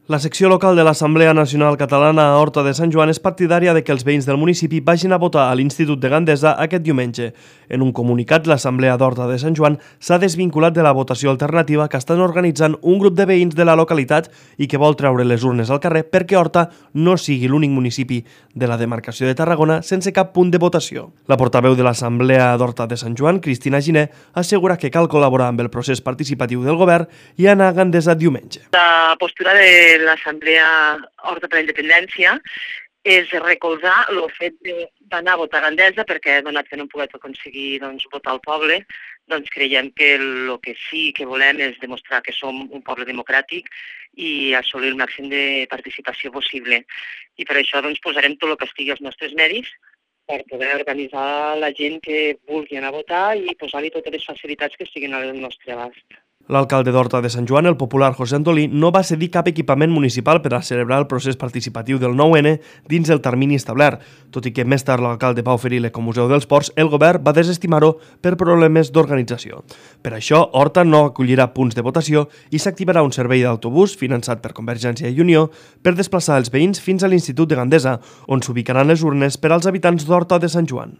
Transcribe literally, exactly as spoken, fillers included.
La secció local de l'Assemblea Nacional Catalana a Horta de Sant Joan és partidària de que els veïns del municipi vagin a votar a l'Institut de Gandesa aquest diumenge. En un comunicat, l'Assemblea d'Horta de Sant Joan s'ha desvinculat de la votació alternativa que estan organitzant un grup de veïns de la localitat i que vol treure les urnes al carrer perquè Horta no sigui l'únic municipi de la demarcació de Tarragona sense cap punt de votació. La portaveu de l'Assemblea d'Horta de Sant Joan, Cristina Giner, assegura que cal col·laborar amb el procés participatiu del govern i anar a Gandesa diumenge. La postura de l'Assemblea Horta per la Independència és recolzar el fet d'anar a votar a Gandesa perquè, donat que no hem pogut aconseguir doncs, votar al poble, doncs creiem que el que sí que volem és demostrar que som un poble democràtic i assolir el màxim de participació possible. I per això doncs, posarem tot el que estigui als nostres medis per poder organitzar la gent que vulgui anar a votar i posar-li totes les facilitats que estiguin al nostre abast. L'alcalde d'Horta de Sant Joan, el popular José Antolí, no va cedir cap equipament municipal per a celebrar el procés participatiu del nou ene dins el termini establert, tot i que més tard l'alcalde va oferir l'Ecomuseu dels Ports, el govern va desestimar-ho per problemes d'organització. Per això, Horta no acollirà punts de votació i s'activarà un servei d'autobús finançat per Convergència i Unió per desplaçar els veïns fins a l'Institut de Gandesa, on s'ubicaran les urnes per als habitants d'Horta de Sant Joan.